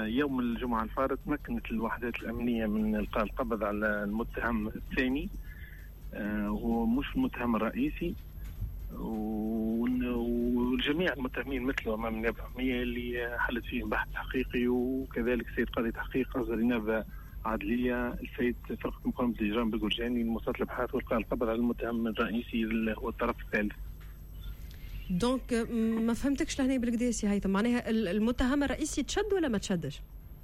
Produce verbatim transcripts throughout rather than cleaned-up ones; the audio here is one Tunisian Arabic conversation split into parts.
يوم الجمعة الفارط تمكنت الوحدات الأمنية من إلقاء القبض على المتهم الثاني، هو مش المتهم الرئيسي، والجميع المتهمين مثله أمام النيابة العمومية اللي حلت فيهم بحث حقيقي، وكذلك سيد قاضي تحقيق أصدر نيابة عدلية السيد فرقة مقاومة الإجرام بالقرجاني لمواصلة الأبحاث والقاء القبض على المتهم الرئيسي اللي هو الطرف الثالث. donc ما فهمتكش لهنا بالكدا سي هيثم، معناها المتهم الرئيسي تشد ولا ما تشدش؟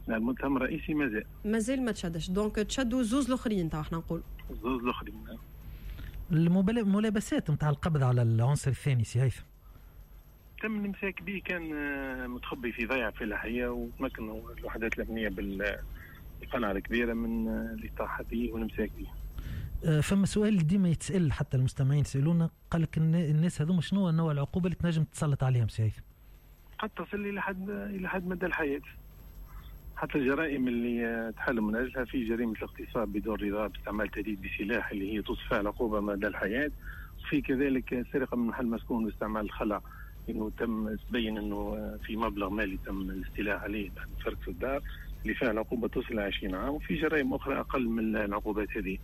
لا، المتهم الرئيسي مازال مازال ما تشدش، donc تشدوا زوز الاخرين تو احنا نقول زوز الاخرين. الملابسات نتاع القبض على العنصر الثاني سي هيثم؟ تم الامساك به، كان متخبي في ضيعه فلاحية، وتمكنوا الوحدات الامنية بالقنعه الكبيرة من الاطاحه به والامساك به. فما سؤال ديما يتسال حتى المستمعين يسالونا، قال لك الناس هذوما شنو نوع العقوبة اللي تنجم تسلط عليهم سي هيثم؟ قد تصل الى حد الى حد مدى الحياة. حتى الجرائم اللي تحل من اجلها في جريمة الاغتصاب بدون رضا باستعمال تهديد بسلاح اللي هي توصف فيها العقوبة مدى الحياة، وفي كذلك سرقه من محل مسكون باستعمال الخلع، انه تم تبين انه في مبلغ مالي تم الاستيلاء عليه بعد فرق في الدار اللي فيها العقوبة تصل عشرين عام، وفي جرائم اخرى اقل من العقوبات هذه.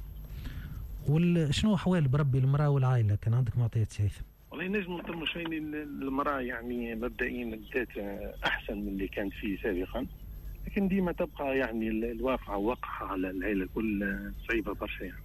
وشنو احوال بربي المراة والعائلة؟ كان عندك معطيات سي هيثم؟ والله نجم نطمنوا شيء، المراة يعني مبدئيا بدات احسن من اللي كانت فيه سابقا، لكن ديما تبقى يعني الواقعة وقعة على العائلة الكل صعيبة برشا يعني.